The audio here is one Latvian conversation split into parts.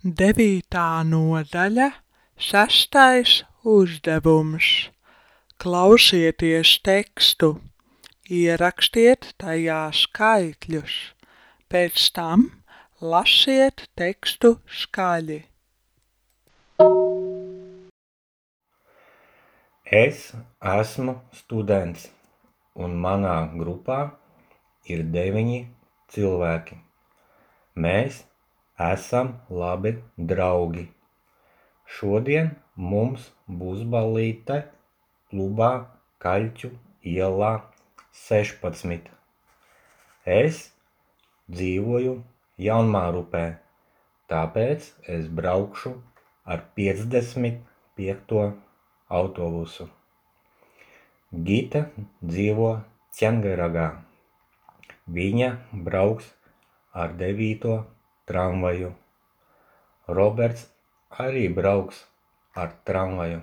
9. nodaļa, 6. uzdevums. Klausieties tekstu, ierakstiet tajā skaitļus, pēc tam lasiet tekstu skaļi. Es esmu students, un manā grupā ir 9 cilvēki. Mēs esam labi draugi. Šodien mums būs ballīte klubā Kaļķu ielā 16. Es dzīvoju Jaunmārupē, tāpēc es braukšu ar 55. autobusu. Gita dzīvo Ķengaragā. Viņa brauks ar 9. tramvaju. Roberts arī brauks ar tramvaju.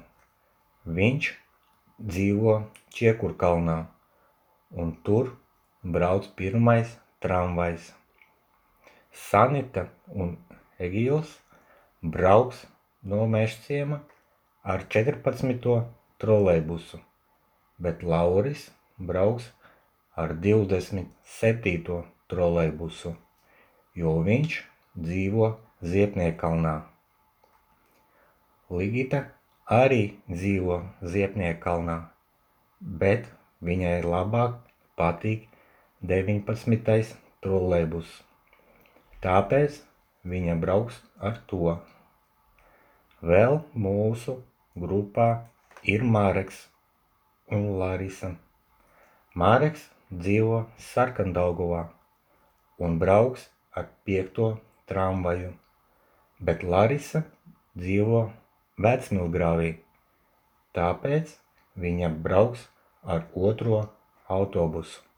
Viņš dzīvo Čiekurkalnā, un tur brauc 1. tramvajs. Sanita un Egils brauks no Mežciema ar 14. trolejbusu, bet Lauris brauks ar 27. trolejbusu, jo viņš dzīvo Ziepniekalnā. Ligita arī dzīvo Ziepniekalnā, bet viņai labāk patīk 19. trolejbus, tāpēc viņa brauks ar to. Vēl mūsu grupā ir Mareks un Larisa. Mareks dzīvo Sarkandaugavā un brauks ar 5. tramvaju, bet Larisa dzīvo Vecmilgrāvī, tāpēc viņa brauks ar 2. autobusu.